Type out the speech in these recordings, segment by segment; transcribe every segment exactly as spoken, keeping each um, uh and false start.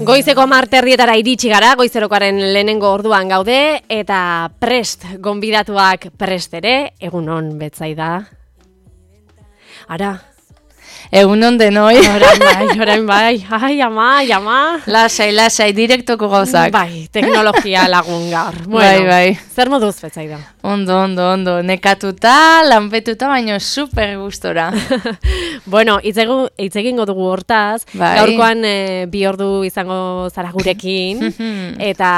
Goizeko marterrietara iritsi gara, goizerokaren lehenengo orduan gaude, eta prest, gonbidatuak prest ere, egunon Betsaida. Ara. Egunon denoi. Orain bai, orain bai, ai ama, ai ama. Lasai, lasai, direktoko gauzak. Bai, teknologia lagun gaur. Bueno, bai, bai. Zer moduz Betsaida? Ondo, ondo, ondo, nekatuta, lanpetuta, baino super gustora. Bueno, hitz egingo dugu hortaz, bai. Gaurkoan e, bi ordu izango zara gurekin, eta,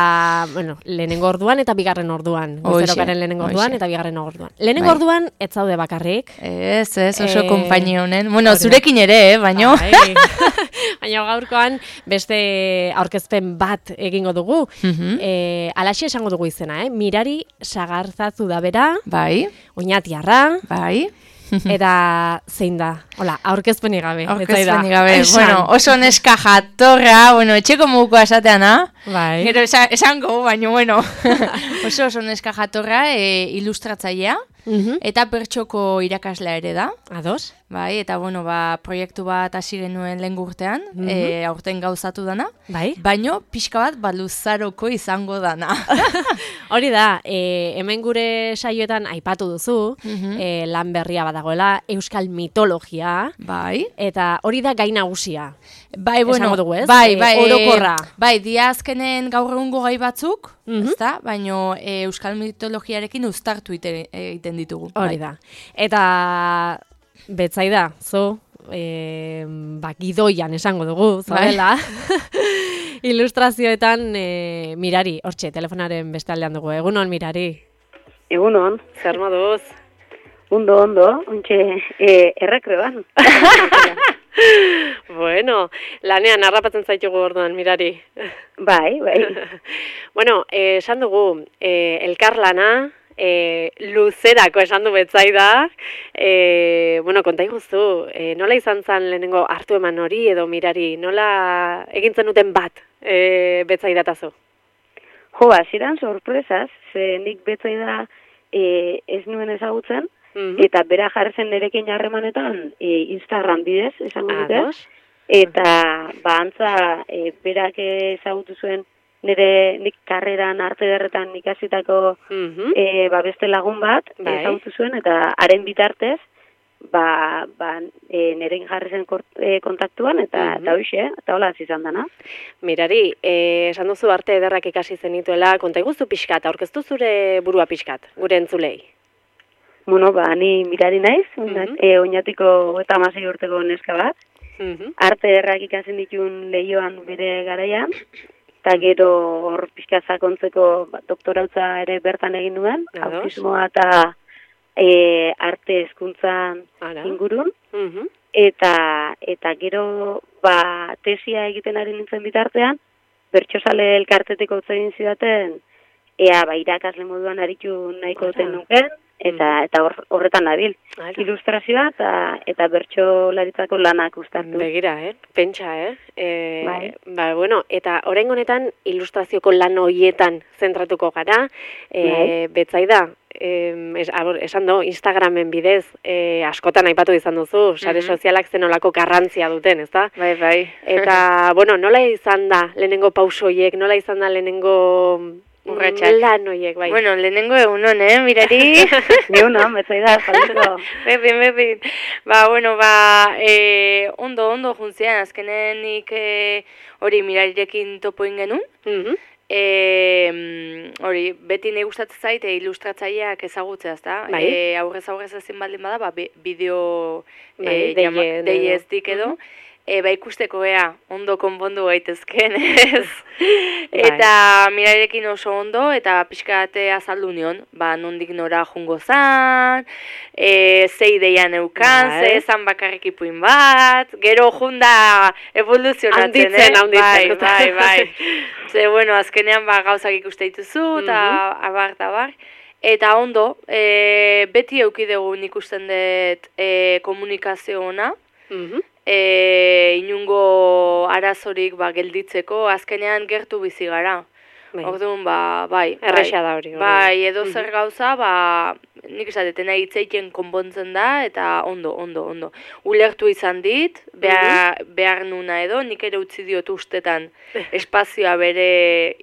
bueno, lehenengo orduan eta bigarren orduan. Goizerokaren lehenengo orduan eta bigarren orduan. Lehenengo bai. Orduan, ez zaude bakarrik. Ez, ez, oso e... konpainia honen. Bueno, zurekin ere, eh, baino. Bai. Baina gaurkoan beste aurkezpen bat egingo dugu. e, alaxe esango dugu izena, eh? Mirari Sagarzazu da bera. Bai. Oñatiarra. Bai. Eta zein da? Hola, aurkezpenik gabe. Aurkezpenik gabe. Bueno, oso neska jatorra, bueno, etxeko muguko esateana. Bai. Gero esango, baina, bueno. oso oso neska jatorra, e, ilustratzailea. Uh-huh. Eta pertsoko irakaslea ere da. Ados. Bai, eta bueno, ba, proiektu bat hasi genuen lehen urtean, uh-huh. e, aurten gauzatu dana. Bai. Baino, pixka bat baluzaroko izango dana. Hori da, e, hemen gure saioetan aipatu duzu, uh-huh. e, lan berria badagoela, euskal mitologia. Bai. Eta hori da gai nagusia. Bai, bueno, dugu, ez? Bai, bai, e, orokorra. Bai, dia azkenen gaur egungo gai batzuk, uh-huh. ezta? Baino e, euskal mitologiarekin uztartu egiten ditugu. Hori bai. da. Eta Betsaida, zo, e, ba, gidoian esango dugu, zabela. Bai. Ilustrazioetan e, Mirari, hortxe, telefonaren bestaldean dugu. Egunon, Mirari. Egunon. Zer moduz? Ondo, ondo, ontxe, e, errekreban. Bueno, lanean harrapatzen zaitugu orduan, Mirari. Bai, bai. Bueno, eh, esan dugu, eh, elkarlana, E, luzerako esan du Betsaida, e, bueno, konta iguzu, e, nola izan zen lehenengo hartu eman hori edo Mirari, nola egintzen duten bat e, Betsaida tazo? Jo, hasieran sorpresaz, ze nik Betsaida e, ez nuen ezagutzen, uh-huh. eta bera jarri zen nerekin harremanetan e, Instagram bidez, esango dute, eta ba, antza e, berak ezagutu zuen nire nik karreran arte derretan ikasitako uh-huh. e, ba, beste lagun bat bai. Ezagutu zuen, eta haren bitartez ba, ba, e, nirekin jarri zen kort, e, kontaktuan, eta uh-huh. eta hoxe, eta hola izan dana. Mirari, e, esan duzu arte ederrak ikasi zenituela, konta iguzu pixkat, aurkeztu zure burua pixkat, gure entzulei? Bueno, ba, ni Mirari naiz, uh-huh. e, oinatiko eta hamasei urteko neska bat, uh-huh. arte ederrak ikasen ditun lehioan bere garaian, eta gero hor pixka sakontzeko ba, doktorautza ere bertan egin nuen, autismoa eta e, arte hezkuntzan ingurun, uh-huh. eta eta gero ba, tesia egiten ari nintzen bitartean, bertsozale elkarteteko utzi egin zidaten, ea ba, irakasle moduan aritu nahiko duten nuken, eta eta hor, horretan nabil. Ilustrazioa eta eta bertsolaritzako lanak uztartu. Begira, eh? Pentsa, eh? E, bai. Ba, bueno, eta orain honetan ilustrazioko lan horietan zentratuko gara. E, bai. Betsaida, eh, es, esan do, Instagramen bidez eh, askotan aipatu izan duzu, sare mm-hmm. sozialak zenolako garrantzia duten, ezta? Bai, bai. Eta, bueno, nola izan da lehenengo pausoiek, nola izan da lehenengo urratxak. Lan horiek, bai. Bueno, lehenengo egunon, eh, Mirari? Egunon, Betsaida, saludeko. Bepin, bepin. Ba, bueno, ba, e, ondo, ondo juntzean, azkenen nik hori e, Mirarirekin topo ingenun. Uh-huh. E, hori, beti nahi gustatzen zait, e, ilustratzaileak ezagutzea, ezta? Bai. E, aurrez aurrez ezin baldin bada, ba, bideo bai, e, deieztik edo. Uh-huh. E, ba ikusteko ea, ondo konpondu gaitezken, ez? Eta Mirarirekin oso ondo, eta pixkate azaldu nion, ba, nondik nora jungo zan, e, ze ideian eukan, bai. Ze zan bakarrik ipuin bat, gero junda evoluzionatzen, handitzen, eh? handitzen. Bai, bai, bai. Ze, bueno, azkenean ba, gauzak ikuste dituzu, eta uh-huh. abar, eta abar. Eta ondo, e, beti eukidegu ikusten dut e, komunikazio ona, uh-huh. E, inungo arazorik ba, gelditzeko, azkenean gertu bizi gara. Orduan, ba, bai. Erresa da hori. Bai, edo zer gauza, ba, nik esateten hitzeiten konpontzen da, eta ondo, ondo, ondo. Ulertu izan dit, behar, behar nuna edo, nik ere utzi diot ustetan espazioa bere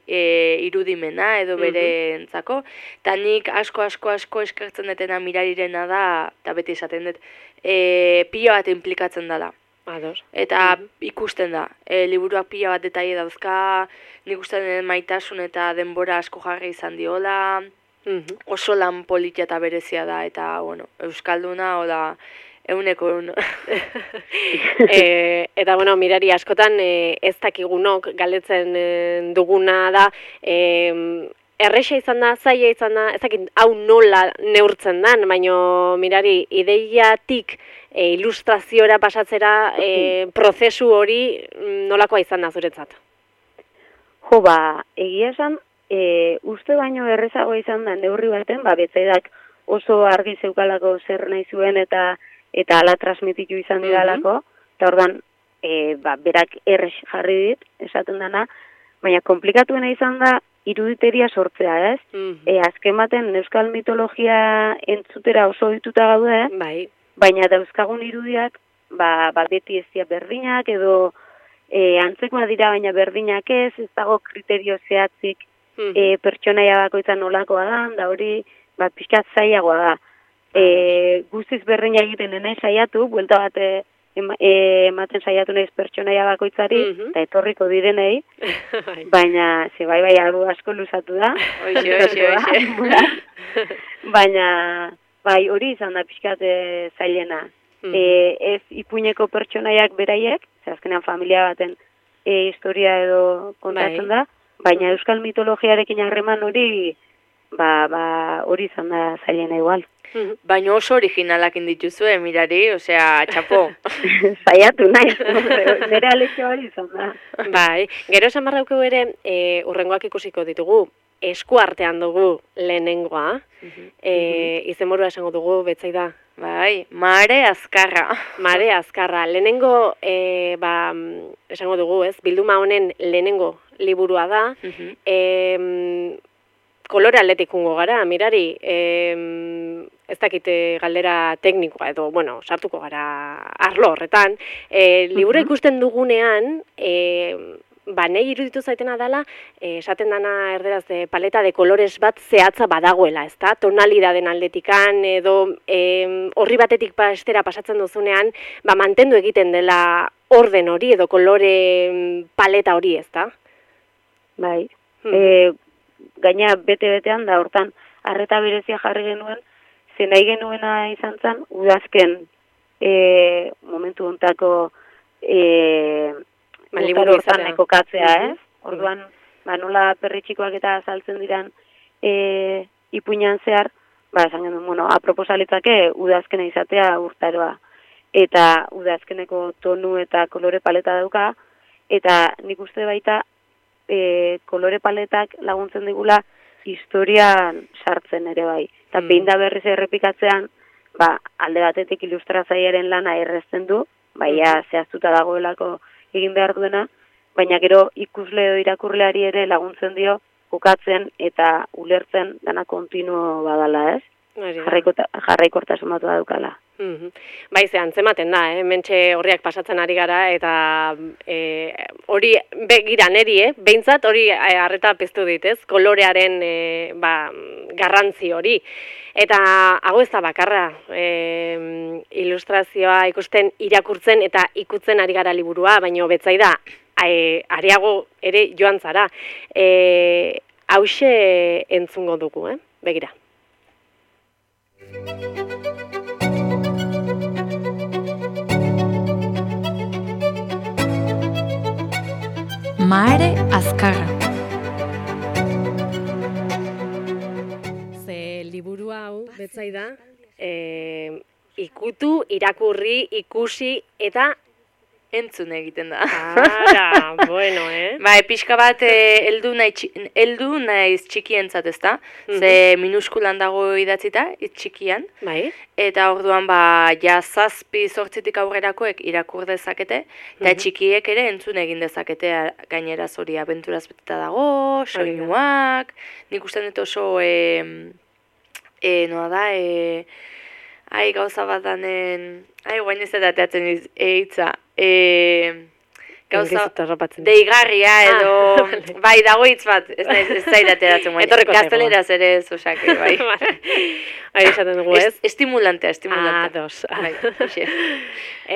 e, irudimena edo bere entzako, eta nik asko, asko, asko eskertzen detena mirarirena da, eta beti esaten dut, e, pila bat implikatzen dela. Ados. Eta ikusten da, e, liburuak pila bat detaile dauzka, nik uste den maitasun eta denbora asko jarri izan diola, mm-hmm. oso lan politia eta berezia da, eta, bueno, euskalduna, oda, euneko eun. e, eta, bueno, mirari, askotan e, ez dakigunok galetzen e, duguna da, e, erresa izan da, zaila izan da, ez dakit hau nola neurtzen dan, baina mirari, ideiatik e, ilustraziora pasatzera e, prozesu hori nolakoa izan da zuretzat? Jo, ba, egia esan, e, uste baino errezago izan da neurri baten, ba, betzaidak oso argi zeukalako zer nahi zuen eta eta ala transmititu izan didalako, eta ordan, e, ba, berak erres jarri dit, esaten dana, baina komplikatuena izan da, iruditeria sortzea, ez? Mm-hmm. E, azken baten, euskal mitologia entzutera oso dituta gaude, bai. Baina dauzkagun irudiak, ba, ba beti ez dira berdinak, edo e, antzekoa dira baina berdinak ez, ez dago kriterio zehatzik mm-hmm. e, pertsonaia bakoitzan nolakoa da, da hori ba, pixkat zailagoa da. E, guztiz berdina egiten nene saiatu, buelta bat ematen saiatu nahiz pertsonaia bakoitzari, eta mm-hmm. etorriko direnei, baina, ze bai bai algo asko luzatu da. Oixe, oixe, oixe. Baina, bai hori izan da pixkat zailena. Mm-hmm. E, ez ipuineko pertsonaiak beraiek, ze azkenean familia baten e, historia edo kontatzen bai. Da, baina euskal mitologiarekin harreman hori, ba, ba, hori izan da zailena igual. Baina oso originalak indituzue, mirari, osea, txapo. Zaiatu nahi, nire alexo hori izan da. Bai, gero esan barrauko ere, e, urrengoak ikusiko ditugu, esku artean dugu lehenengoa, uh-huh. e, izenburua esango dugu, betzaida. Bai, Mare Azkarra. Mare Azkarra, lehenengo, e, ba, esango dugu, ez, bilduma honen lehenengo liburua da, uh-huh. e, kolore aldetik ungo gara, mirari, e, ez dakite galdera teknikoa edo, bueno, sartuko gara arlo horretan, e, libura uh-huh. ikusten dugunean, e, ba, nahi iruditu zaitena dela, e, esaten dana erderaz de paleta de kolores bat zehatza badagoela, ezta? Tonalidaden aldetikan edo e, horri batetik bestera pasatzen duzunean, ba, mantendu egiten dela orden hori edo kolore paleta hori, ezta? Bai, hmm. e, gaina bete-betean da, hortan, arreta berezia jarri genuen, zen nahi genuena izan zen, udazken e, momentu hontako e, liburu hortan ekokatzea, ez? Orduan, ba, nola perritxikoak eta azaltzen diran e, ipuinan zehar, ba, esan genuen, bueno, aproposalitzake udazkena izatea urtaroa. Eta udazkeneko tonu eta kolore paleta dauka, eta nik uste baita e, kolore paletak laguntzen digula historian sartzen ere bai. Eta mm. behin da berriz errepikatzean, ba, alde batetik ilustratzailearen lana errezten du, baina mm. zehaztuta dagoelako egin behar duena, baina gero ikusle edo irakurleari ere laguntzen dio kokatzen eta ulertzen dana kontinuo badala, ez? Jarraikortasun bat daukala. Mm-hmm. Bai, ze antzematen da, eh? Mentxe horriak pasatzen ari gara, eta e, hori begira neri, eh? Behintzat hori harreta piztu dit, ez? Kolorearen e, ba, garrantzi hori. Eta hau ez da bakarra, e, ilustrazioa ikusten irakurtzen eta ikutzen ari gara liburua, baina betzai da, e, areago ere joan zara. E, hauxe entzungo dugu, eh? Begira. Mare Azkarra. Ze liburu hau, betzaida, e, ikutu, irakurri, ikusi, eta entzun egiten da. Ara, bueno, eh? Bai, pixka bat heldu nahi heldu naiz txikientzat, ezta? Ze minuskulan dago idatzita, hitz txikian. Bai. Eta orduan ba ja zazpi zortzitik aurrerakoek irakur dezakete, eta txikiek ere entzun egin dezakete gainera hori abenturaz beteta dago, soinuak, nik uste dut oso e, e, noa da, e, ai gauza bat danen, ai guain ez eta teatzen hitza, e, gauza deigarria edo, ah, bai, dago hitz bat, ez zaidateratzen guain, gazteleraz ere ez osake, bai. Ari esaten dugu, ez? Estimulantea, estimulantea. Ah, dos. Bai,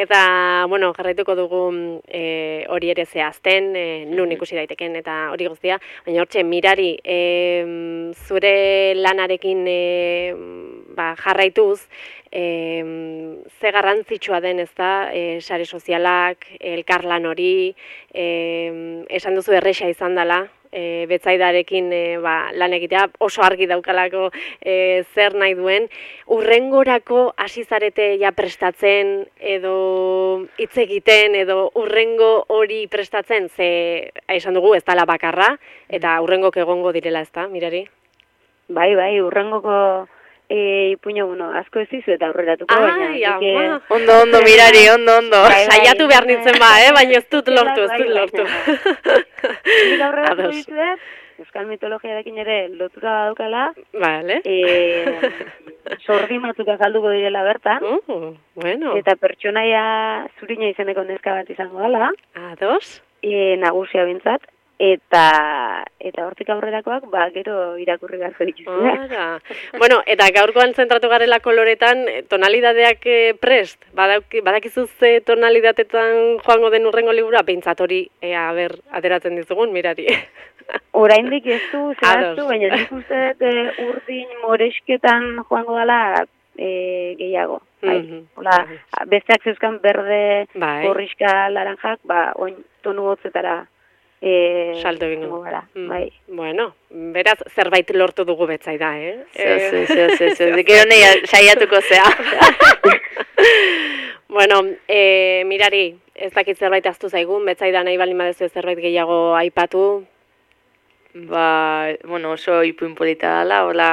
eta, bueno, jarraituko dugu e, hori ere zehazten, e, nun ikusi daiteken eta hori guztia, baina hortxe, Mirari, e, zure lanarekin e, ba, jarraituz, e, ze garrantzitsua den, ez da, e, sare sozialak, elkarlan hori, e, esan duzu erresa izan dela, E, betzaidarekin e, ba, lan egitea oso argi daukalako e, zer nahi duen. Urrengorako hasi zarete ja prestatzen edo hitz egiten edo urrengo hori prestatzen, ze esan dugu ez dela bakarra eta urrengok egongo direla, ezta, Mirari? Bai, bai, urrengoko E, ipuño, bueno, asko ez dizu eta aurreratuko, baina. Ai, ama. Ondo, ondo, Mirari, ondo, ondo. Bai, bai, saiatu behar nintzen ba, eh? Baina ez dut lortu, ez dut lortu. Nik aurreratuko dizuet, euskal mitologiarekin ere lotura daukala. Vale. E, sorgi batzuk azalduko direla bertan. Uh, bueno. Eta pertsonaia zurina izeneko neska bat izango dela. Ados. E, nagusia bintzat. Eta eta hortik aurrerakoak ba gero irakurri beharko dituzue. Ara. Bueno, eta gaurkoan zentratu garela koloretan, tonalidadeak prest. Badaki, badakizu ze tonalidatetan joango den urrengo liburua, behintzat hori ea ber ateratzen dizugun, Mirari. Oraindik ez du zehaztu, baina nik uste dut urdin moresketan joango dela e, gehiago. Bai. Mm-hmm. Hola, besteak zeuzkan berde, bai, gorriska, laranjak, ba oin tonu hotzetara E, salto egingo gara, mm. bai. Bueno, beraz zerbait lortu dugu betzaida, eh? Zeo, zeo, zeo, zeo, gero nahi saiatuko zea. Bueno, e, Mirari, ez dakit zerbait aztu zaigun, betzaida nahi baldin badezu zerbait gehiago aipatu? Ba, bueno, oso ipuin polita dela, hola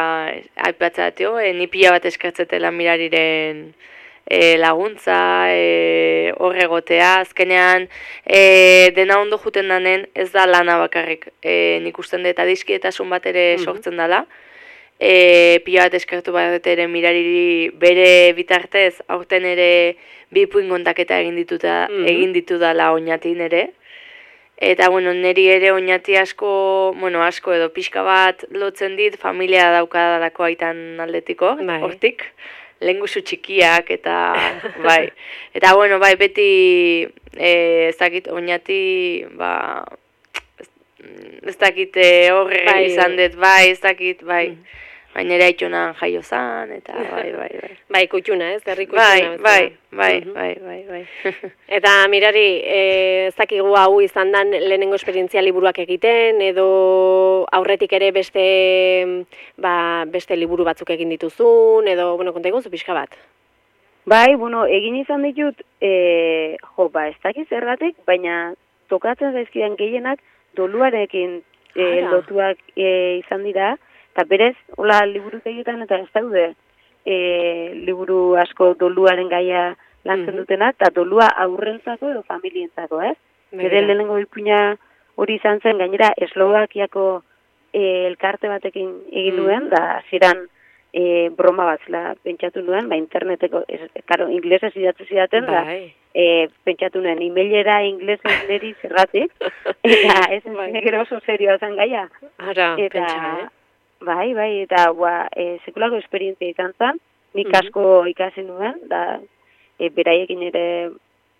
aipatzatio, e, ni pila bat eskartzetela Mirariren E, laguntza, e, horregotea, azkenean e, dena ondo juten danen ez da lana bakarrik. E, nik usten dut adiskietasun bat ere sortzen dela. E, pila bat eskartu bat ere Mirariri bere bitartez, aurten ere bi ipuin kontaketa egin dituta, mm-hmm. egin ditu dela oinatin ere. Eta, bueno, niri ere oinati asko, bueno, asko edo pixka bat lotzen dit, familia daukadalako aitan aldetiko, bai, hortik. Lengusu txikiak eta bai. Eta bueno, bai beti eh ez dakit oinati, ba ez dakit horre bai, izan dut, bai, ez dakit, bai. Mm. Baina ere aitonan jaio zan, eta bai, bai, bai. Bai, kutxuna, ez? Herri kutxuna. Bai, bai, bai, mm-hmm. bai, bai, bai. Eta Mirari, ez dakigu hau izan dan lehenengo esperientzia liburuak egiten, edo aurretik ere beste, ba, beste liburu batzuk egin dituzun, edo, bueno, konta egun zu pixka bat? Bai, bueno, egin izan ditut, e, jo, ba, ez dakit zergatik, baina tokatzen zaizkidan gehienak doluarekin e, lotuak e, izan dira, eta berez, hola, liburu egiten eta ez daude e, liburu asko doluaren gaia lantzen mm-hmm. dutenak, eta dolua aurrentzako edo familientzako, ez? Bere lehenengo ipuina hori izan zen, gainera, Eslovakiako e, elkarte batekin egin duen, mm-hmm. da ziran e, broma batzela pentsatu nuen, ba, interneteko, ez, karo, inglesez idatze zidaten, da, e, pentsatu nuen, emailera inglesez neri zergatik, eta ez gero oso serioa zen gaia. Ara, eta, pentsa, eh? Bai, bai, eta ba, e, sekulako esperientzia izan zen, nik asko ikasi nuen, da e, beraiekin ere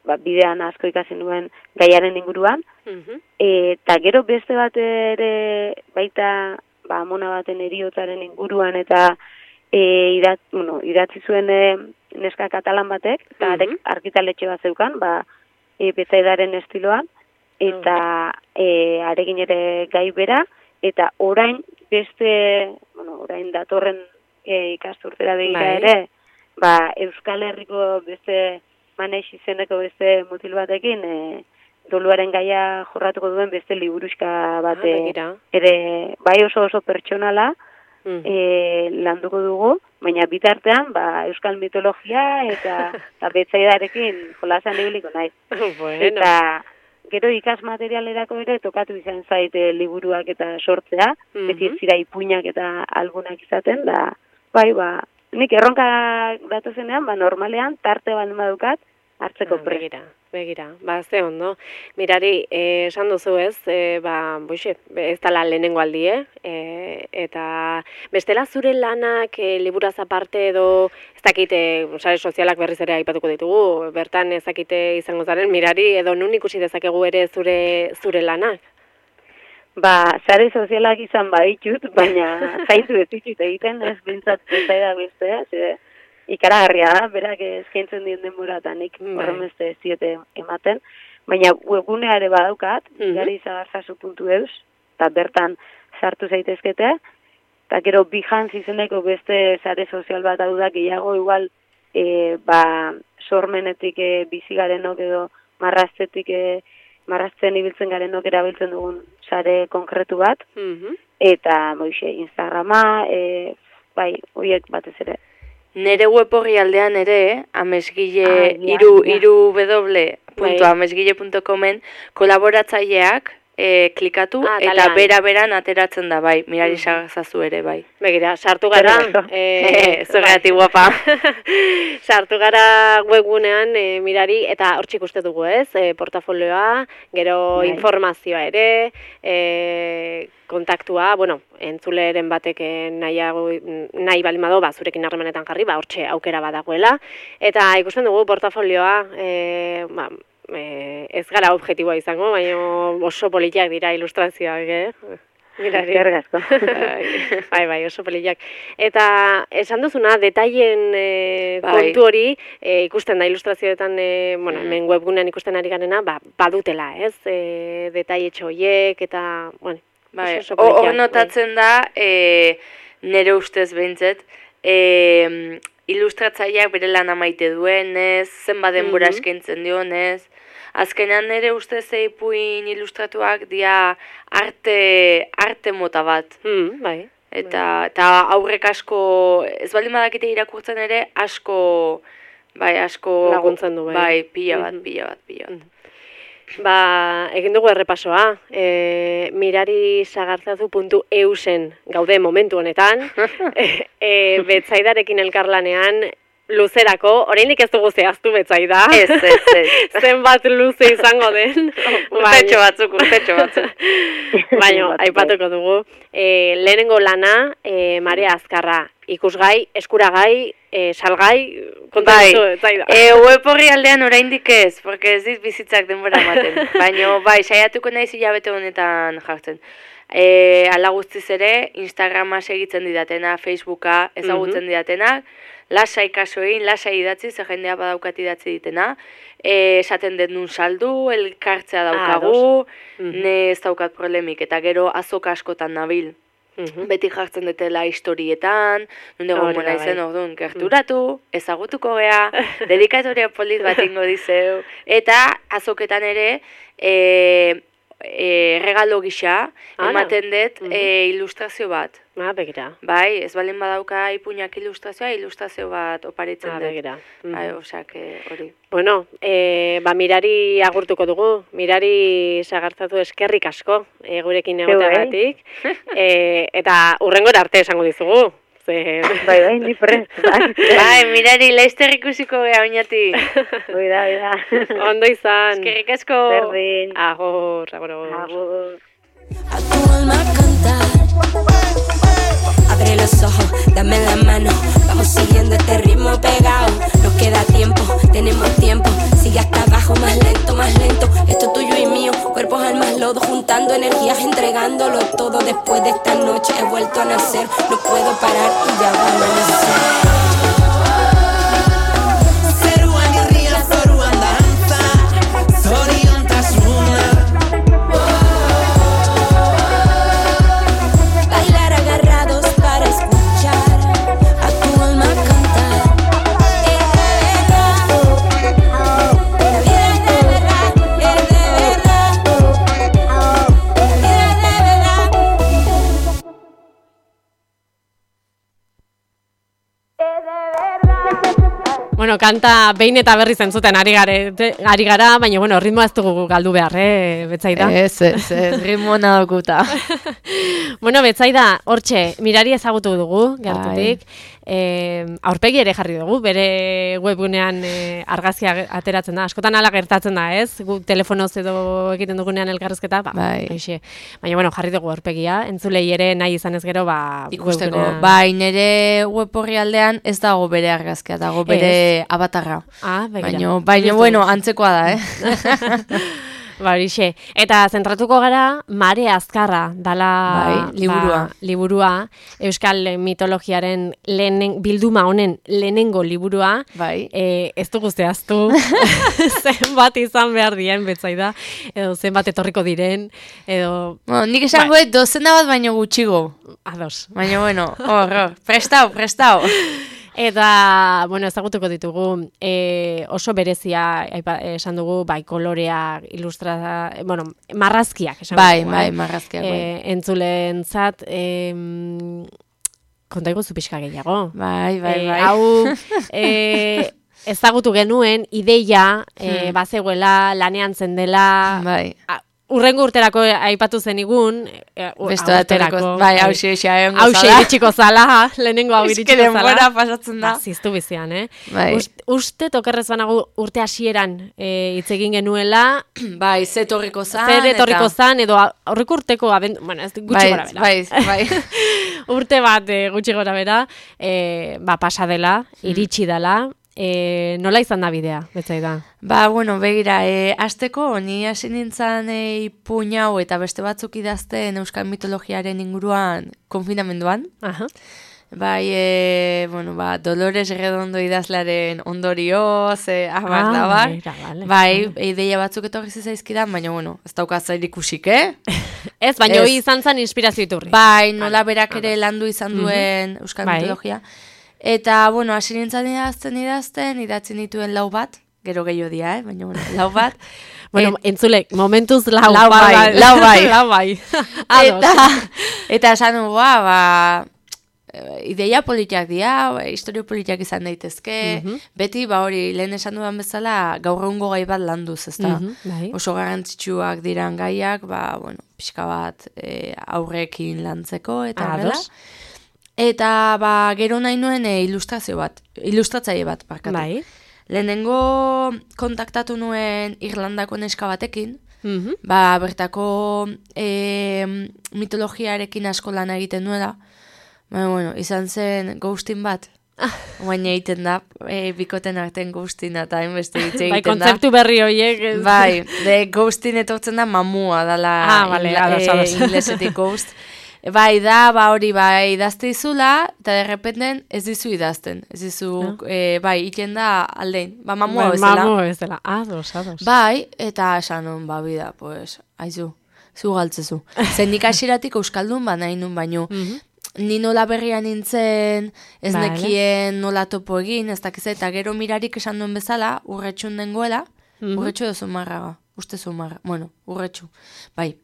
ba, bidean asko ikasi nuen gaiaren inguruan, mm-hmm. e, eta gero beste bat ere baita ba, amona baten eriotzaren inguruan, eta e, idat, bueno, idatzi zuen e, neska katalan batek, eta mm-hmm. argitaletxe bat zeukan, ba, e, betzaidaren estiloan, eta e, arekin ere gai bera, eta orain beste, bueno, orain datorren e, ikasturtera begira ere, ba, Euskal Herriko beste Maneix izeneko beste mutil batekin, e, doluaren gaia jorratuko duen beste liburuxka bate, ah, ere bai oso oso pertsonala, mm. e, landuko dugu, baina bitartean, ba, euskal mitologia eta, eta betzaidarekin jolasan ibiliko naiz. Bueno. Eta gero ikas materialerako ere tokatu izan zaite liburuak eta sortzea, mm-hmm. beti ez zira ipuinak eta algunak izaten, da, bai, ba, nik erronka datozenean, ba, normalean, tarte bat madukat, hartzeko ah, prest. Begira, begira, ba, ze ondo. Mirari, eh, esan duzu ez, eh, ba, boixe, ez dala lehenengo aldie, eh, eta bestela zure lanak eh, liburaz aparte edo, ez dakite, sare sozialak berriz ere aipatuko ditugu, bertan ez dakite izango zaren, Mirari, edo nun ikusi dezakegu ere zure, zure lanak? Ba, sare sozialak izan baditut, baina zaintu ez ditut egiten, ez bintzat ez da bestea, ze, ikaragarria da, berak eskaintzen dien denboratan, nik horremeste ziete ematen, baina webgunea ere badaukat, mm-hmm. garizagarzazu puntu eus, eta bertan sartu zaitezkete, eta gero Behance izeneko beste sare sozial bat hau da, gehiago igual, e, ba, sormenetik e, bizi garenok edo marraztetik, e, marrazten ibiltzen garenok erabiltzen dugun sare konkretu bat, mm-hmm. eta moixe, Instagrama, e, bai, horiek batez ere. Nere web horri aldean ere, amesgile, iru, iru w puntu amesgile puntu comen kolaboratzaileak e, klikatu ah, eta bera-beran ateratzen da, bai, Mirari Sagazazu ere, bai. Begira, sartu gara, e, zergatik guapa. Sartu gara webgunean e, Mirari, eta hortzik uste dugu ez, e, portafolioa, gero bai. Informazioa ere, e, kontaktua, bueno, entzuleren batek nahiago, nahi balin bado, ba, zurekin harremanetan jarri, ba, hortxe aukera badagoela, eta ikusten dugu portafolioa, e, ba, e, ez gara objektiboa izango, baina oso politiak dira ilustrazioak, eh? Mirari. Bai, bai, oso politak. Eta esan duzuna, detaien e, bai. kontu hori, e, ikusten da ilustrazioetan, e, bueno, hemen webgunean ikusten ari garena, ba, badutela, ez? E, detaile txoiek eta, bueno, bai, hor notatzen da, e, nire ustez behintzet, e, ilustratzaileak bere lan amaite duenez, zenba denbora mm-hmm. eskaintzen dionez, azkenean nire ustez eipuin ilustratuak dia arte, arte mota bat. Mm, bai. Eta, eta aurrek asko, ez baldin badakite irakurtzen ere, asko, bai, asko laguntzen du, bai. Bai, pila bat, pila bat, pila bat. Ba, egin dugu errepasoa, e, mirari sagartzazu puntu eusen gaude momentu honetan, e, e, betzaidarekin elkarlanean, luzerako, oraindik ez dugu zehaztu betzaida. Ez, ez, ez. Zenbat luze izango den. Urtetxo batzuk, urtetxo batzuk. Baina, aipatuko dugu. E, lehenengo lana, e, Marea Azkarra, ikusgai, eskuragai, e, salgai, kontatu betzaida. E, web horri aldean oraindik ez, porque ez dit bizitzak denbora ematen. Baina, bai, saiatuko naiz hilabete honetan jartzen. E, ala guztiz ere, Instagrama segitzen didatena, Facebooka ezagutzen mm-hmm. didatenak, lasai kaso egin, lasai idatzi, ze jendea badaukat idatzi ditena, e, esaten den nun saldu, elkartzea daukagu, ah, mm-hmm. ne ez daukat problemik, eta gero azoka askotan nabil. Mm-hmm. Beti jartzen dutela historietan, nunde gomona izen orduan, gerturatu, ezagutuko gea, dedikatoria polit bat ingo dizeu, eta azoketan ere, e, e, regalo gisa, ematen dut mm-hmm. e, ilustrazio bat. Ah, begira. Bai, ez baldin badauka ipuinak ilustrazioa, ilustrazio bat oparitzen ah, dut. Begira. Mm-hmm. Bai, osak, hori. Bueno, e, ba, Mirari agurtuko dugu. Mirari sagartzatu eskerrik asko, e, gurekin egoteagatik. e, eta urrengora arte esango dizugu. Ze... Bai, bai, ni prest. Bai, bai Mirari, laizter ikusiko geha oinati. Bai, da, bai, da. Ondo izan. Eskerrik asko. Berdin. Agur, agur. Agur. A tu alma cantar. Abre los ojos, dame la mano, vamos siguiendo este ritmo pegado. Nos queda tiempo, tenemos tiempo, sigue hasta abajo, más lento, más lento. Esto tuyo y mío, cuerpos, almas, lodo, juntando energías, entregándolo todo. Después de esta noche he vuelto a nacer, no puedo parar y ya va a amanecer. Bueno, kanta behin eta berriz entzuten ari, gare, ari gara, baina, bueno, ritmoa ez dugu galdu behar, eh, Betsaida? Ez, ez, ez, ritmoa nadokuta. Bueno, Betsaida, hortxe, Mirari ezagutu dugu, gertutik, eh, aurpegi ere jarri dugu, bere webgunean eh, argazkia ateratzen da, askotan ala gertatzen da, ez? Gu telefonoz edo egiten dugunean elkarrezketa, ba, bai. Aixe. Baina, bueno, jarri dugu aurpegia, entzulei ere nahi izan ez gero, ba, ikusteko, webgunean... bai, nire web horri aldean ez dago bere argazkia, dago bere avatarra. Ah, begira. Baina, baina bueno, antzekoa da, eh? Ba, horixe. Eta zentratuko gara, Mare Azkarra dala bai, liburua. Ba, liburua, Euskal mitologiaren lehenen, bilduma honen lehenengo liburua. Bai. E, ez dugu zehaztu, zenbat izan behar dien, Betsaida, edo zenbat etorriko diren, edo... Bueno, nik esango bai. Dozena bat baino gutxigo. Ados. Baina, bueno, hor, hor, prestau, prestau. Eta, bueno, ezagutuko ditugu, e, oso berezia, aipa, esan dugu, bai, kolorea, ilustra, bueno, marrazkiak, esan bai, dugu. Bai, marrazkiak, bai. E, entzulen zat, e, konta iguzu pixka gehiago. Bai, bai, bai. E, hau, e, ezagutu genuen, ideia, e, hmm. bazegoela, lanean zendela, bai. A, Urrengo urterako aipatu zenigun, beste urterako, bai, hauxe egon gozala. Hauxe iritsiko zala, lehenengo hau iritsiko zala. Denbora pasatzen da. Ziztu bizian, eh? Bai. Uste tokerrez banago urte hasieran hitz egin genuela. Bai, ze torriko zan. Zer etorriko zan, edo aurreko urteko, abendu, bueno, ez gutxi bai, gora bera. Bai, bai. Urte bat e, gutxi gora bera, e, ba, pasa dela, iritsi dela. E, nola izan da bidea, Betsaida? Ba, bueno, begira, e, azteko, ni hasi nintzen e, ipuin hau eta beste batzuk idazten Euskal mitologiaren inguruan konfinamenduan. Aha. Bai, e, bueno, ba, Dolores Redondo idazlearen ondorioz, e, abar, ah, abar. Bera, vale. Bai, ideia batzuk etorri zaizkidan, baina, bueno, ez dauka zair ikusik, eh? Ez, baina hori izan zen inspirazio iturri. Bai, nola berak ere landu izan duen Euskal bai. mitologia. Eta, bueno, hasi nintzen idazten idazten, idatzen dituen lau bat, gero gehiago dia, eh? Baina, bueno, lau bat. Bueno, Et, entzulek, momentuz lau, lau bai, bai, lau bai. lau bai. eta, eta esan dugu, ba, ideia politiak dira, historio politiak izan daitezke, mm-hmm. beti, ba hori, lehen esan dudan bezala, gaur egungo gai bat landuz, ezta? Mm-hmm, bai. Oso garrantzitsuak diran gaiak, ba, bueno, pixka bat e, aurrekin lantzeko, eta horrela. Eta, ba, gero nahi nuen e, ilustrazio bat, ilustratzaile bat, barkatu. Bai. Lehenengo kontaktatu nuen Irlandako neska batekin, mm-hmm. ba, bertako e, mitologiarekin asko lan egiten nuela, ba, bueno, izan zen ghosting bat, baina egiten da, e, bikoten artean ghosting eta hainbeste hitz egiten da. Bai, kontzeptu berri horiek. Bai, de ghosting etortzen da mamua, dala ah, vale, ingla, e, inglesetik ghost. Bai, da, ba hori, bai, idazte izula, eta derrependen ez dizu idazten. Ez dizu, no? e, bai, iten da aldein. Ba, mamua ba, bezala. Mamua bezala, ados, ados. Bai, eta esan hon, ba, bida, pues, aizu, zu galtzezu. Zendik asiratik euskaldun, ba, nahi nun baino. Mm-hmm. Ni nola berrian nintzen, ez vale. Nekien nola topo egin, ez dakiz, eta gero mirarik esan duen bezala, urretxun dengoela, mm-hmm. urretxu edo zumarraga. Uste zumarra, bueno, urretxu, bai.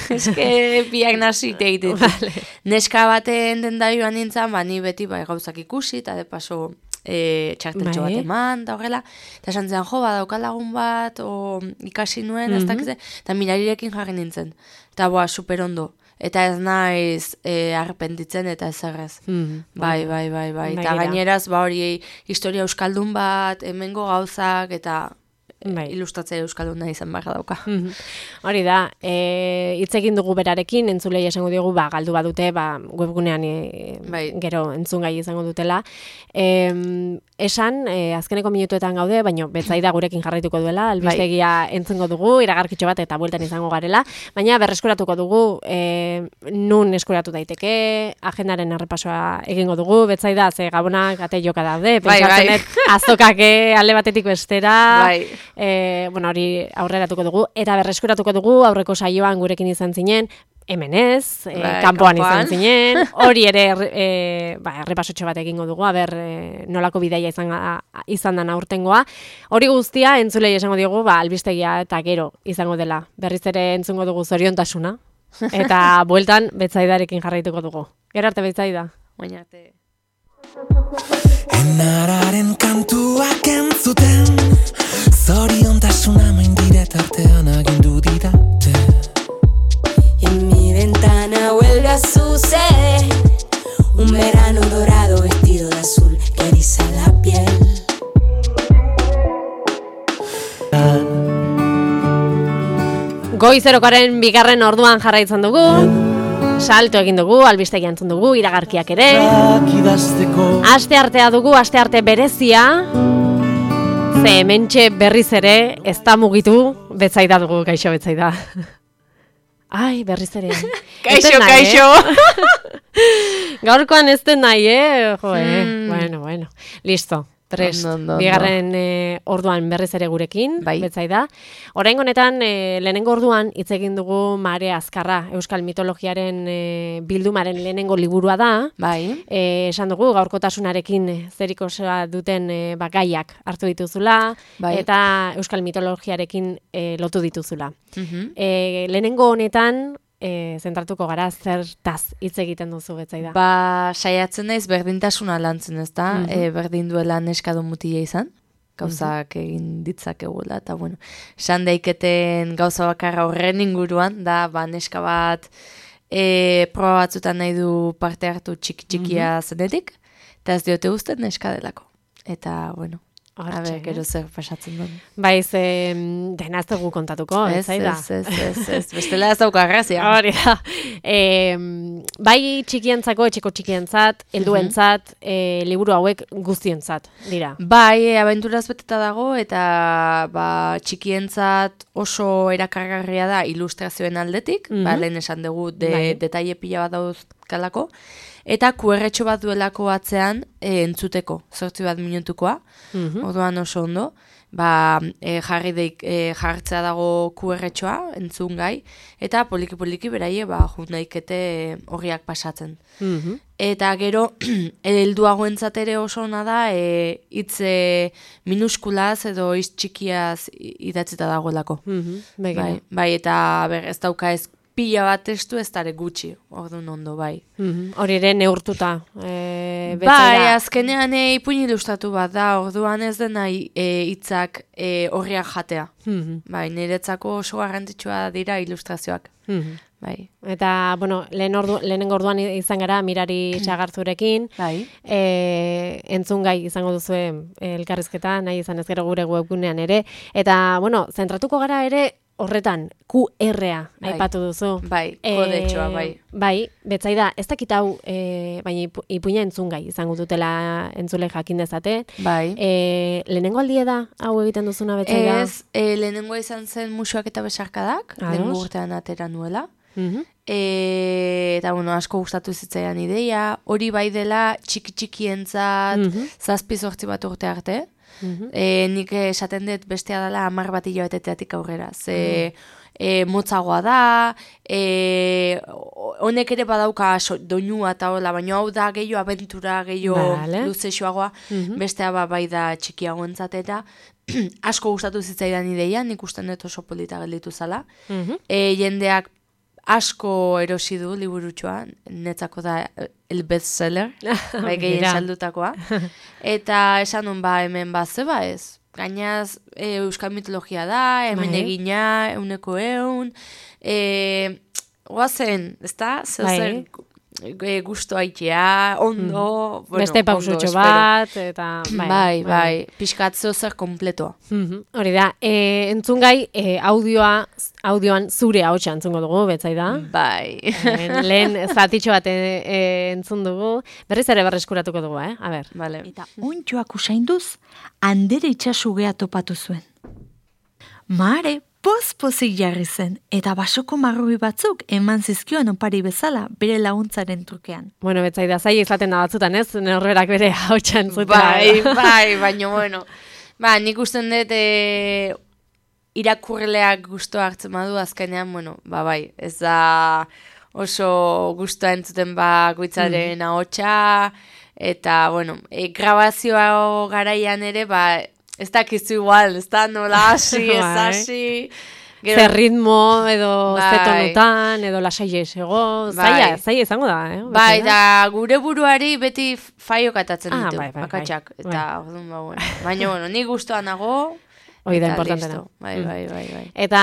Ez que biak nazi egiten. Vale. Neska baten dendarioan nintzen, ba, ni beti bai gauzak ikusi, eta de paso e, txarteltxo bai. Bat eman, eta horrela. Eta esan zen, jo, badauka lagun bat, o ikasi nuen, mm-hmm. ez dakize, eta mirarirekin jarri nintzen. Eta boa, super ondo. Eta ez naiz e, arrependitzen eta ez errez. Mm-hmm. Bai, bai, bai, bai. Eta gaineraz, ba hori, historia euskaldun bat, hemengo gauzak, eta... Bai. Ilustratzea euskalduna izan barra dauka. Mm-hmm. Hori da, e, hitz egin dugu berarekin, entzulei esango diogu, ba, galdu badute, ba, webgunean e, bai. Gero entzun gai izango dutela. E, esan, e, azkeneko minutuetan gaude, baina Betsaida gurekin jarraituko duela, albistegia bai. Entzungo dugu, iragarkitxo bat eta bueltan izango garela, baina berreskuratuko dugu, e, nun eskuratu daiteke, agendaren errepasoa egingo dugu, Betsaida, ze gabonak ate joka daude, pentsatzen bai, bai. Azokake alde batetik bestera, bai. E, bueno, hori aurreratuko dugu, eta berreskuratuko dugu, aurreko saioan gurekin izan zinen, hemen ez, e, bai, kanpoan izan zinen, hori ere e, ba, errepasotxo bat egingo dugu, aber e, nolako bidaia izan, a, izan dan aurtengoa. Hori guztia, entzulei esango diogu, ba, albistegia eta gero izango dela. Berriz ere entzungo dugu zoriontasuna, eta bueltan Betsaidarekin jarraituko dugu. Gero arte, Betsaida. Baina arte. Enararen kantuak entzuten, zoriontasuna maindire tartean agindu didate. En mi ventana vuelve a suceder un verano dorado vestido de azul que eriza la piel. Goizerokaren bigarren orduan jarraitzen dugu, salto egin dugu, albistegi entzun dugu, iragarkiak ere. Aste artea dugu, aste arte berezia, ze hementxe berriz ere ez da mugitu, Betsaida dugu, kaixo Betsaida. Ai, berriz ere. Kaixo, kaixo. Gaurkoan ez den nahi, eh? Jo, eh? Mm. Bueno, bueno. Listo. Prest, no, no, no, bigarren no. e, orduan berriz ere gurekin, bai. Betsaida. Orain honetan, e, lehenengo orduan hitz egin dugu Mare Azkarra, Euskal Mitologiaren e, bildumaren lehenengo liburua da. Bai. E, esan dugu, gaurkotasunarekin zerikosa duten e, bagaiak hartu dituzula, bai. Eta Euskal Mitologiarekin e, lotu dituzula. Uh-huh. E, lehenengo honetan, E, zentratuko gara, zertaz hitz egiten duzu Betsaida? Ba, saiatzen naiz berdintasuna lantzen, ez da? Mm -hmm. e, berdin duela neskado mutia izan, gauzak mm -hmm. egin ditzakegula, eta bueno, esan daiketen gauza bakarra horren inguruan, da, ba, neska bat e, proba batzutan nahi du parte hartu txiki-txikia mm -hmm. zenetik, eta ez diote guztet neska delako. Eta, bueno, a ber, gero zer pasatzen duen. Baiz, eh, dena ez dugu kontatuko, ez zaida? Ez, ez, ez, ez, bestela ez dauka grazia. Hori da. Eh, bai txikientzako, etxeko txikientzat, helduentzat, eh, liburu hauek guztientzat, dira. Bai, e, abenturaz beteta dago, eta ba, txikientzat oso erakargarria da ilustrazioen aldetik, mm-hmm. ba, lehen esan dugu, de, bai. Detaile pila bat dauzkalako, eta Q R txo bat duelako atzean e, entzuteko, zortzi bat minutukoa, mm-hmm. orduan oso ondo, ba, e, jarri deik, e, jartzea dago Q R txoa, entzun gai, eta poliki-poliki beraie, ba, jut daikete horriak pasatzen. Mm-hmm. Eta gero, helduagoentzat ere oso ona da, e, hitz e, minuskulaz edo hitz txikiaz idatzita dagoelako. Mm-hmm. Bai, bai, eta ber, ez dauka ez pila bat testu ez dare gutxi, orduan ondo, bai. Mm-hmm. Hori ere neurtuta. E, bai, azkenean e, ipuin ilustratu bat da, orduan ez dena hitzak e, horriak jatea. Mm-hmm. Bai, niretzako oso garrantzitsua dira ilustrazioak. Mm-hmm. Bai. Eta, bueno, lehen ordu, lehenengo orduan izan gara Mirari Txagartzurekin. Bai. E, entzun gai izango duzue elkarrizketa, nahi izan ez gero gure webgunean ere. Eta, bueno, zentratuko gara ere horretan, Q R-a bai. Aipatu duzu. Bai, kodetxoa, bai. E, bai, Betsaida, ez dakit hau, e, baina ipuina entzun gai izango dutela entzule jakin dezate. Bai. E, lehenengo aldie da hau egiten duzuna, Betsaida? Ez, e, lehenengo izan zen Musuak eta Besarkadak, lehenengo urtean atera nuela. Mm-hmm. E, eta bueno, asko gustatu zitzaidan ideia, hori bai dela txiki-txikientzat, mm-hmm. zazpi zortzi bat urte arte. Mm-hmm. E, nik esaten dut bestea dela hamar bat hilabetetik aurrera. Ze mm-hmm. e, motzagoa da, e, honek ere badauka so, doinua eta hola, baina hau da gehiago abentura, gehiago vale. Luzexoagoa, mm-hmm. bestea ba, bai da txikiagoentzat eta asko gustatu zitzaidan ideia, nik usten dut oso polita gelditu zala. Mm-hmm. E, jendeak asko erosi du liburutxoa, netzako da el bestseller, bai gehien saldutakoa. Eta esan nun ba hemen ba zeba ez. Gainaz e, Euskal Mitologia da, hemen bai. Egina, euneko eun. E, Oazen, ez da? Zer e, gusto haitea, ondo. Mm. Bueno, beste pausutxo bat, eta bai, bai, bai. Piskatzeo zer kompletoa. Mm-hmm. Hori da, e, entzun gai, e, audioa, audioan zure ahotsa entzungo dugu, Betsaida. Bai. E, lehen zatitxo bat e, e, entzun dugu, berriz ere berreskuratuko dugu, eh? A ber. Vale. Eta ontxoak usainduz, Andere itxasugea topatu zuen. Mare, poz-pozik jarri zen, eta basoko marrubi batzuk eman zizkioan opari bezala bere laguntzaren trukean. Bueno, Betsaida, zai izaten da batzutan, ez? Norberak bere ahotsa entzutea. Bai, bai, baina, bueno. Ba, nik usten dut e, irakurleak gustoa hartzen badu, azkenean, bueno, ba, bai, ez da oso gustoa entzuten ba goitzaren mm. ahotsa, eta, bueno, e, grabazioa garaian ere, ba, ez dakizu igual, ez da nola hasi, ez hasi, zer ritmo edo bai. Zetonutan edo lasai esego, zaila, zaila izango da, eh? Bai, da gure buruari beti faio katatzen ah, ditu, bai, bai, bakatxak, bai. eta orduan ba, bueno. Baina, bueno, ni gustoan nago, hoi da importantena. Bai, bai, bai, bai. Eta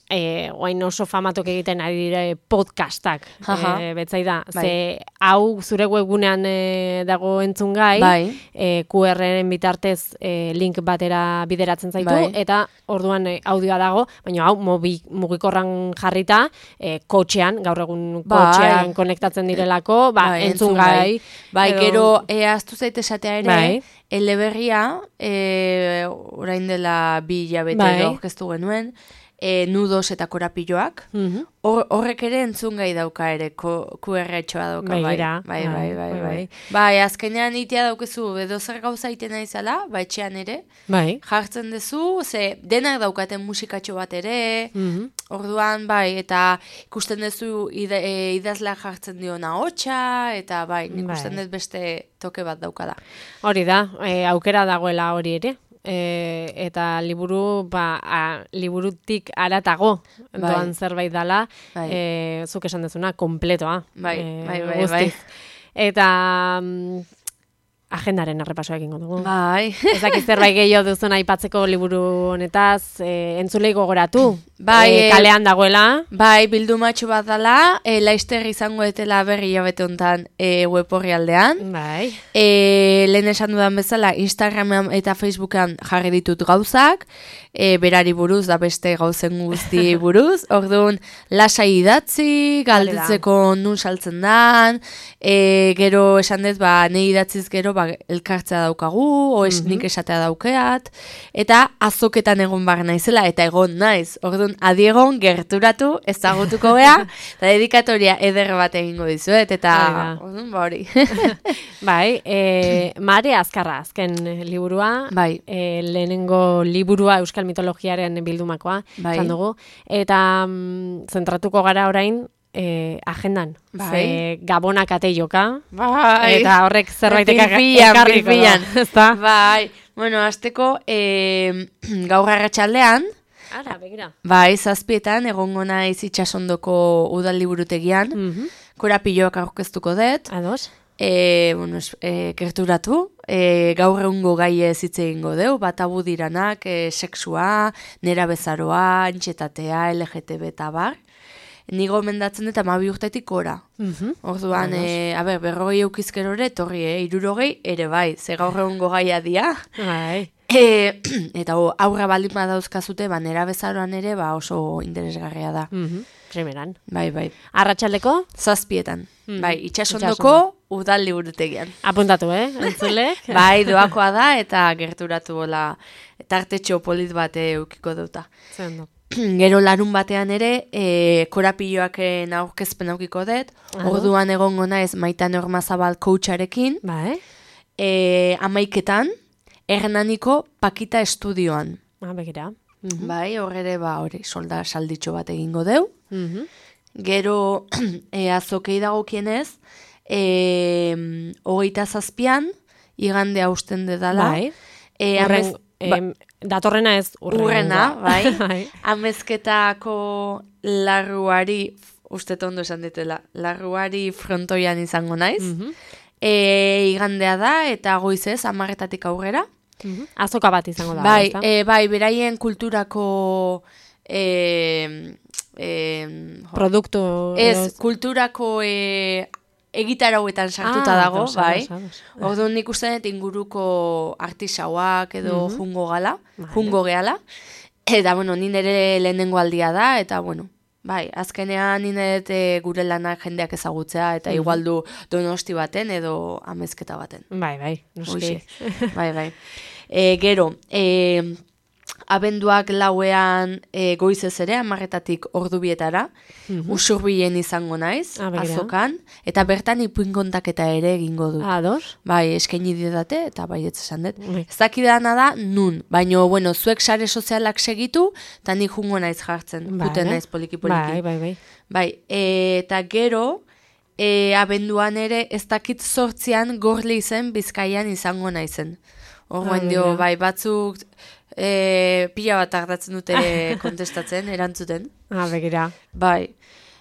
eh, oain oso famatok egiten ari dire podcastak, eh, betzai da, bai. Ze hau zure webgunean eh, dago entzungai, bai. eh, Q R-en bitartez eh, link batera bideratzen zaitu, bai. Eta orduan eh, audioa dago, baina hau mobi, mugikorran jarrita, eh, kotxean, gaur egun kotxean bai. Konektatzen direlako, ba, bai, entzungai. Bai, edo... gero, eh, aztu zaite esatea ere, bai. Eleberria, eh, orain dela bi hilabete bai. Edo orkestu genuen, e, nudos eta korapilloak, mm-hmm. Hor, horrek ere entzungai dauka ere, Q R-etxoa dauka, bai, bai, bai, bai, bai, bai. Bai, azkenean itea daukezu, edo zer gauza iten naizala, bai, etxean ere, bai. Jartzen dezu, ze denak daukaten musikatxo bat ere, mm-hmm. Orduan, bai, eta ikusten dezu ide, e, idazlea jartzen diona hotxa, eta bai, ikusten dut beste toke bat daukada. Hori da, e, aukera dagoela hori ere. E, eta liburu, ba, a, liburutik aratago bai. Doan zerbait dala, bai. E, zuk esan dezuna, kompletoa. Bai, e, bai, bai, bai. Eta mm, agendaren errepasoa egingo dugu. Bai. Ez dakit zerbait gehiago duzuna aipatzeko liburu honetaz, e, entzulei gogoratu. Bai, e, kalean dagoela. Bai, bildumatxo bat dala, e, Laister izango etela berri jabete honetan e, web horri aldean. Bai. E, lehen esan dudan bezala, Instagramean eta Facebookan jarri ditut gauzak, e, berari buruz, da beste gauzen guzti buruz, orduan lasai idatzi, galdetzeko nun saltzen dan, e, gero esan dut, ba, nahi idatziz gero, ba, elkartzea daukagu, o es, mm-hmm. nik esatea daukeat, eta azoketan egon bar naizela, eta egon naiz, orduan adiegon gerturatu ezagutuko gea, eta dedikatoria eder bat egingo dizuet, eta orduan ba hori. Bai, e, Mare Azkarra azken liburua, bai. E, lehenengo liburua Euskal Mitologiaren bildumakoa, bai. Dugu, eta mm, zentratuko gara orain, E, agendan, bai. Ze gabonak ate joka, bai. Eta horrek zerbaitek ekarriko da. Bai, bueno, azteko e, gaur arratsaldean, ara, begira. Bai, zazpietan, egongo naiz itxasondoko udal liburutegian, mm-hmm. Korapilloak aurkeztuko dut. Ados. E, bueno, e, gerturatu, e, gaur egungo gai ez hitz egingo deu, bat abu diranak, e, sexua, nera bezaroa, antxetatea, L G T B eta bar. Ni gomendatzen dut amabi urtetik ora. Mm-hmm. Orduan, e, a ber, berrogei eukizkero ere, torri, e, irurogei, ere bai, ze gaur egungo gaia dia. Bai. E, eta o, aurra baldin badauzkazute, ba, nera bezaroan ere, ba, oso interesgarria da. Mm-hmm. Primeran. Bai, bai. Arratsaldeko? Zazpietan. Mm-hmm. Bai, itxasondoko udal liburutegian. Apuntatu, eh? Entzulek? Bai, doakoa da, eta gerturatu bola, tartetxo polit bate eukiko duta. Zendo. Gero larun batean ere, e, korapilloaken aurkezpen aukiko dut, orduan egongo naiz Maitan Ormazabal coacharekin, bai. E, amaiketan, Hernaniko Pakita estudioan. Ah, begira. Mm-hmm. Bai, horre ba, hori, solda salditxo bat egingo deu. Mm-hmm. Gero, e, azokei dagokienez, e, hogeita zazpian, igande hausten dedala. Bai. E, amez, Horren, ba, datorrena ez urrena. Urrena, bai. Amezketako larruari, uste tondo esan ditela, larruari frontoian izango naiz. Mm-hmm. E, igandea da, eta goizez, amarretatik aurrera. Mm-hmm. Azoka bat izango da. Bai, e, bai, beraien kulturako e, e, produktu. Ez, kulturako e, egitarauetan sartuta ah, dago, dos, bai. Dos, dos. Orduan nik uste dut inguruko artisauak edo mm-hmm. jungo gala, vale. jungo gehala. Eta, bueno, nire lehenengo aldia da, eta, bueno, bai, azkenean nire e, gure lanak jendeak ezagutzea, eta mm-hmm. igual du Donosti baten edo amezketa baten. Bai, bai, noski. bai, bai. E, gero, e, abenduak lauean e, goizez ere, amarretatik ordubietara, mm-hmm. usurbilen izango naiz, ah, azokan, eta bertan ipuin kontaketa ere egingo dut. Ah, dos? Bai, eskaini didate, eta bai, ez esan dut. Bai. Ez dakidana da, nun, baina, bueno, zuek sare sozialak segitu, eta nik jungo naiz jartzen, bai, juten naiz poliki-poliki. Bai, bai, bai. Bai, e, eta gero, e, abenduan ere, ez dakit sortzian gorli izen Bizkaian izango naizen. Horren dio, bai, batzuk E, pila bat tardatzen dute kontestatzen, erantzuten. Ah, begira. Bai.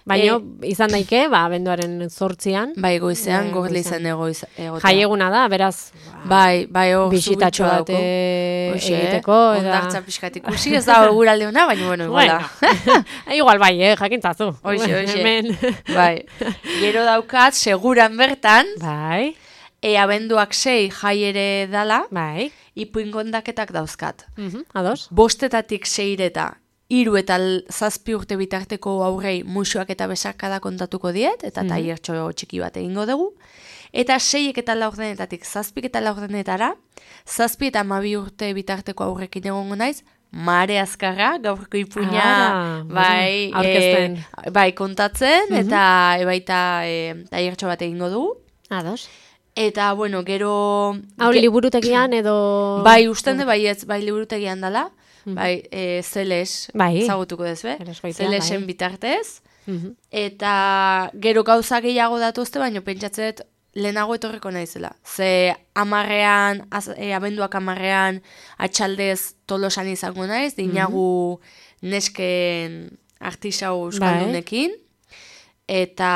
Baina, e, izan daike, ba, abenduaren zortzian. Bai, goizean, e, gorle izan egoita. Jaieguna da, beraz. Bai, bai, hor bisitatxo bat egiteko. Ondartza pixkat ikusi, ez da eguralde hona, baina, bueno, iguala. Igual, bai, eh, jakintzazu. Oixe, oixe. Bai. Gero daukat, seguran bertan. Bai. E, abenduak sei jai ere dala. Bai. Ipuin kondaketak dauzkat. Uh-huh, ados. Bostetatik seireta. Hiru eta zazpi urte bitarteko aurrei musuak eta besarkada kontatuko diet, eta mm. tailertxo txiki bat egingo dugu. Eta seiek eta laurdenetatik zazpik eta laurdenetara, zazpi eta hamabi urte bitarteko aurrekin egongo naiz, Mare Azkarra, gaurko ipuina, ah, bai, e, bai kontatzen, mm-hmm. eta e, baita e, tailertxo bat egingo dugu. Ados. Eta, bueno, gero... Hau ge... liburutegian edo... Bai, ustende bai ez, bai liburutegian dala. Bai, e, zeles, bai. zagutuko dez, be? Zelesen bai. Bitartez. Uh-huh. Eta gero gauza gehiago datuzte, baina pentsatzet lehenago etorriko naizela. Ze amarrean, az, e, abenduak amarrean, atxaldez tolosan izango naiz, dinagu uh-huh. nesken artisau euskaldunekin. Bai. Eta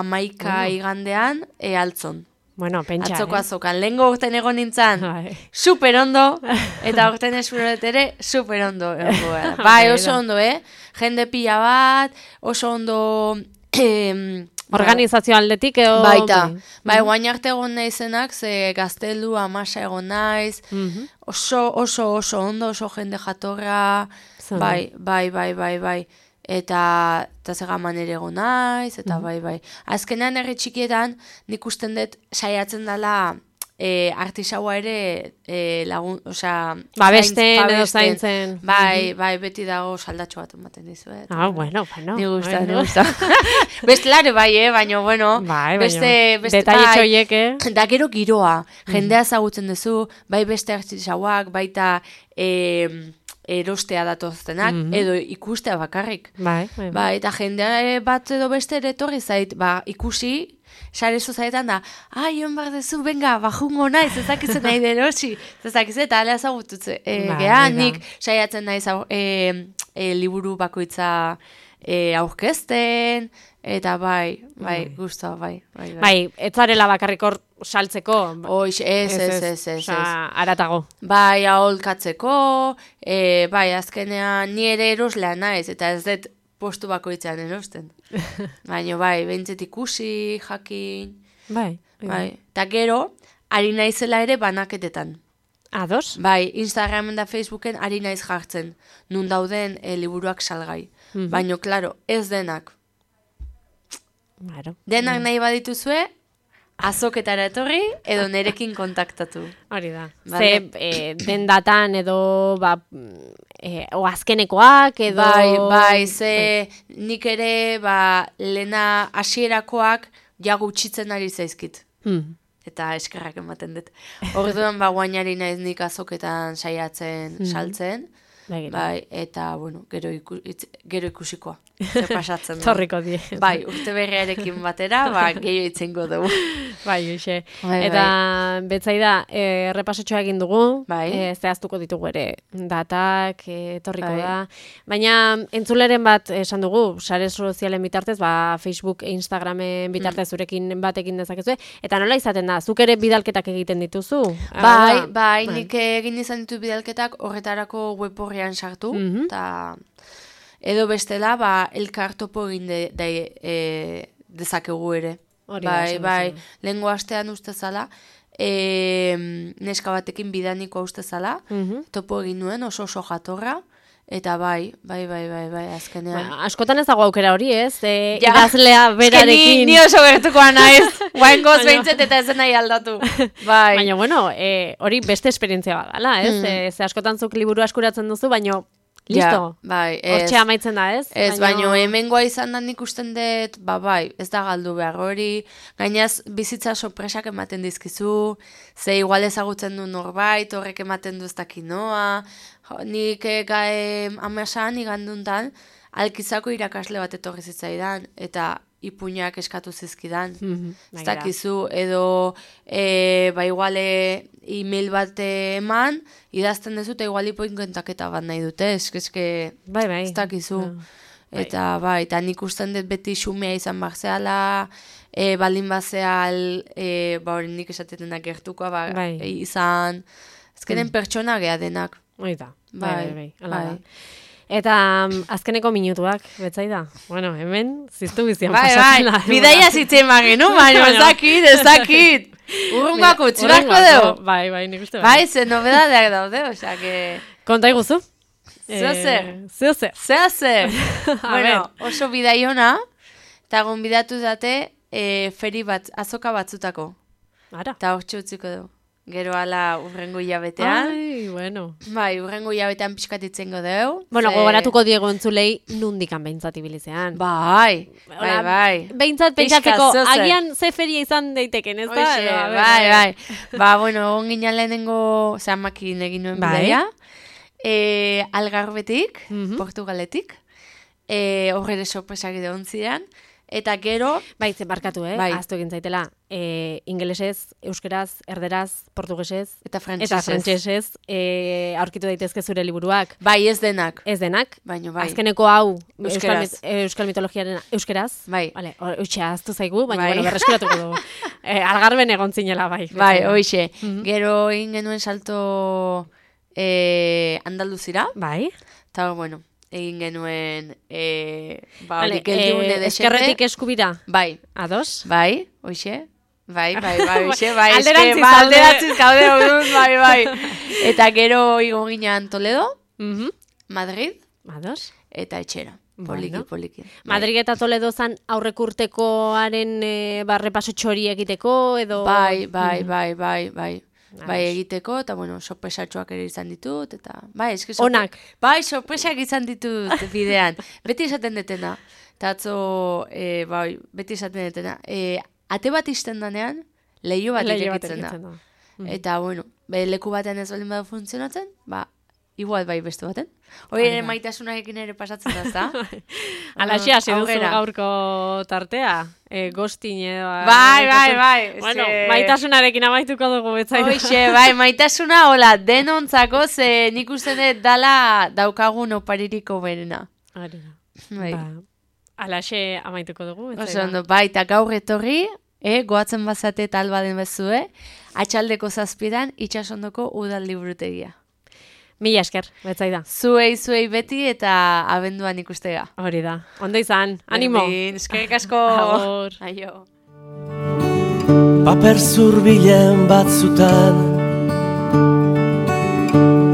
amaika uh-huh. igandean, e, altzon. Bueno, pentsa, atzoko eh? azokan, lehengo urten egon nintzen, super ondo, eta urten esfuret ere, super ondo. Bai, oso ondo, eh? Jende pila bat, oso ondo... Eh, organizazio aldetik, edo... Baita, bai, guain arte egon naizenak, ze gaztelu, amasa egon naiz, mm-hmm. oso, oso, oso ondo, oso jende jatorra, bai, bai, bai, bai, bai. Eta, eta zegaman ere egon naiz, eta bai, bai. Azkenean herri txikietan, nik usten dut saiatzen dela e, artisaua ere e, lagun, osea... Babesten edo zaintzen. Bai, bai, beti dago saldatxo bat ematen dizu. Eh? Ah, bueno, bueno. Ni gusta, ni gusta. Beste lare bai, eh, baina, bueno. Bai, beste, beste, detailetxo hiek, eh? Da gero giroa, jendea ezagutzen duzu, bai beste artisauak, baita... E, erostea datoztenak, mm-hmm. edo ikustea bakarrik. Bai, bai, bai. Eta jendea bat edo beste ere etorri zait, ba, ikusi, sare sozaetan da, ai, hon bar dezu, benga, bajungo naiz, ezakitzen nahi derosi, ezakitzen, eta alea zagututze. E, bai, Geha, nik saiatzen naiz e, e, liburu bakoitza e, aurkezten, eta bai, bai, bai. Guztua, bai. Bai, bai. bai etzarela bakarrik hor saltzeko. Oix, ez, ez, ez, ez. Osa, aratago. Bai, aholkatzeko, e, bai, azkenean ni ere eroslea naiz, eta ez dut postu bakoitzean erosten. Baina, bai, behintzet ikusi, jakin. Bai. Bai, eta gero, ari naizela ere banaketetan. Ados? Bai, Instagramen da Facebooken ari naiz jartzen, nun dauden e, liburuak salgai. Mm-hmm. Baina, klaro, ez denak. Claro. Denak nahi badituzue, azoketara etorri, edo nerekin kontaktatu. Hori da. Vale. Ze, e, den datan edo, ba, e, o azkenekoak, edo... Bai, bai, ze nik ere, ba, lena hasierakoak ja gutxitzen ari zaizkit. Hmm. Eta eskerrak ematen dut. Orduan, ba, guainari naiz nik azoketan saiatzen, hmm. saltzen. Bai, bai, eta, bueno, gero, iku, itz, gero ikusikoa. Zer pasatzen da. Torriko die. Bai, urte berriarekin batera, ba, gehiago itzengo dugu. Bai, uxe. Bai, eta, bai. Betzaida, e, repasotxoa egin dugu, bai. e, zehaztuko ditugu ere, datak, e, torriko bai. Da. Baina, entzuleren bat esan dugu, sare sozialen bitartez, ba, Facebook e Instagramen bitartez mm. zurekin batekin dezakezu, eta nola izaten da, zuk ere bidalketak egiten dituzu? Bai, bai, nik egin izan ditu bidalketak horretarako web horrean sartu, mm-hmm. eta... Edo bestela, ba, elkar topo egin de, de, e, dezakegu ere. Hori bai, da, bai, lehengo astean uste zala, e, neska batekin bidaniko uste zala, mm-hmm. topo egin nuen oso oso jatorra, eta bai, bai, bai, bai, bai, azkenean. Ba, askotan ez dago aukera hori, ez? E, ja. Idazlea berarekin. Ni, ni oso gertukoa naiz, guain goz behintzet eta ez nahi aldatu. Bai. Baina, bueno, e, hori beste esperientzia badala, ez? Mm. E, ze askotan zuk liburu askuratzen duzu, baina... Listo, ja, bai, hortxe amaitzen da, ez? Ez, baina baino, hemengoa izan da nik usten dut, ba, bai, ez da galdu behar hori, gainaz bizitza sorpresak ematen dizkizu, ze igual ezagutzen du norbait, horrek ematen du ez dakinoa, nik gai amasan iganduntan, alkizako irakasle bat etorri zitzaidan, eta ipuinak eskatu zizkidan. Mm-hmm. Ez dakizu, edo e, ba iguale e-mail bat eman, idazten dezu, eta igual ipuin kontaketa bat nahi dute, eskezke, bai, bai. Ez dakizu. No. Eta bai, eta nik usten dut beti xumea izan barzeala, e, baldin bazeal, e, ba hori nik esatetenak gertukoa, ba, bai. e, izan, ezkenen mm. pertsona geha denak. Oita, bai, bai, bai. bai. bai. Eta um, azkeneko minutuak, betzai da? Bueno, hemen, ziztu bizian bai, pasatzen da. Bai, bidaia zitzen magenu, baina ezakit, ezakit. Urrungako utxibako dugu. Bai, bai, nik uste. Bai, ze nobedadeak daude, osea, que... Konta iguzu? Zeo zer. Zeo zer. Zeo zer. Bueno, oso bidaiona, eta gonbidatu date e, feri bat, azoka batzutako. Ara. Eta hor txutziko dugu. Gero ala urrengo hilabetean. Ai, bueno. Bai, urrengo hilabetean pixkatitzengo dugu. Bueno, ze... gogoratuko diego entzulei nundikan behintzat ibilizean. Bai, bai, bai. Behintzat pentsatzeko, agian ze feria izan daiteken, ez da? Oixe, no, bai, bai. Ba, bueno, onginan lehenengo, zean makin egin nuen bai. Bidaia. E, Algarbetik, mm-hmm. Portugaletik. E, horre sorpresak egon ziren. Eta gero... Bai, zen barkatu, eh? Bai. Aztu egin zaitela. E, ingelesez, euskeraz, erderaz, portugesez... Eta frantsesez. Eta frantsesez e, aurkitu daitezke zure liburuak. Bai, ez denak. Ez denak. Baina bai. Azkeneko hau, euskal, mit, euskal mitologiaren euskeraz. Bai. Vale, hoxe, aztu zaigu, baina bai. Bueno, berreskuratuko dugu. e, Algarben egon zinela, bai. Bai, hoxe. Mm-hmm. Gero egin genuen salto e, Andaluzira. Bai. Eta, bueno... egin genuen e, ba, vale, e, eskerretik eskubira. Bai. Ados? Bai, hoxe. Bai, bai, bai, hoxe, bai. Alderantziz, ba, alderantziz kaude odun, bai, bai. Eta gero igo ginean Toledo, mm-hmm. Madrid, Ados? Eta etxera. Poliki, bueno. Poliki. Madrid eta Toledo zan aurrek urtekoaren e, barrepaso txori egiteko, edo... Bai, bai, mm-hmm. bai, bai, bai. Bai, egiteko, eta, bueno, sorpresatxoak ere izan ditut, eta, bai, eski sorpre... Onak. Bai, sorpresak izan ditut bidean. Beti esaten detena. Eta atzo, e, bai, beti esaten detena. E, ate bat izten danean, lehio bat irekitzen da. da. Mm. Eta, bueno, be, leku batean ez baldin badu funtzionatzen, ba, igual bai beste baten. Hori ere maitasunarekin ere pasatzen da, ezta? Alaxia, hasi duzu gaurko tartea. E, Gostin edo... Bai, bai, bai. Bueno, ze... maitasunarekin amaituko dugu betzaitu. Hoxe, bai, maitasuna, hola, denontzako, ze nik uste dut dala daukagun opaririko berena. Arena. Bai. Ba, alaxe amaituko dugu betzaitu. Oso ondo, bai, eta gaur etorri, e, goatzen bazate eta albaden bezue, atxaldeko zazpidan, itxasondoko udal liburutegia. Mila esker, betzaida. Zuei, zuei beti eta abenduan ikustega. Hori da. Ondo izan, animo. Berdin, eskerrik asko. Agur. Aio. Paper zurbilen batzutan,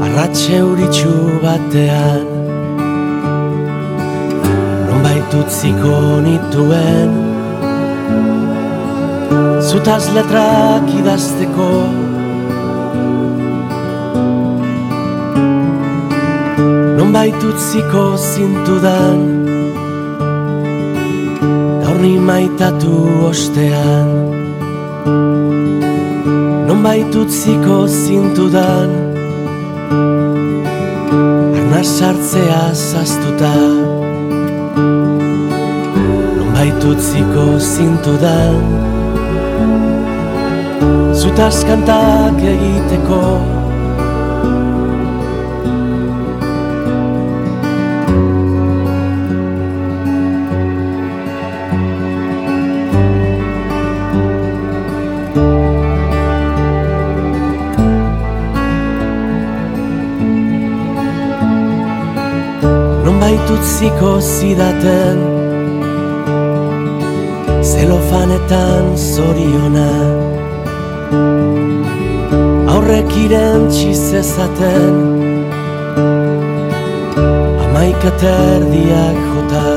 arratxe uritxu batean, nonbait utziko nituen, zutaz letrak idazteko, nonbait utziko zintudan, gaur ni maitatu ostean. Nonbait utziko zintudan, arnaz sartzea zaztuta. Nonbait utziko zintudan, zutaz kantak egiteko. Utziko zidaten zelofanetan zoriona, aurrek irentsi zezaten hamaika terdiak jota.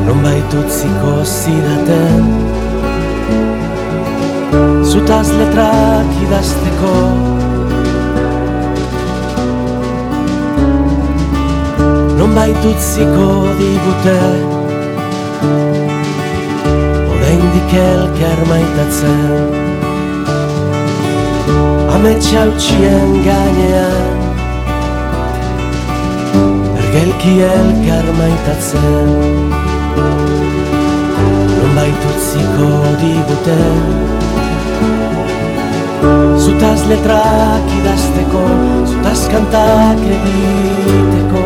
Nonbait utziko zidaten zutaz letrak idazteko. Nonbait utziko digute oraindik elkar maitatzen, ametsa utxien gainean ergelki elkar maitatzen. nonbait utziko diguten, zutaz letrak idazteko, zutaz kantak egiteko.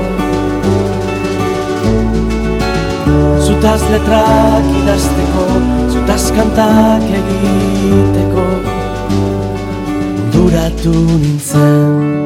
Zutaz letrak idazteko, zutaz kantak egiteko, duratu nintzen.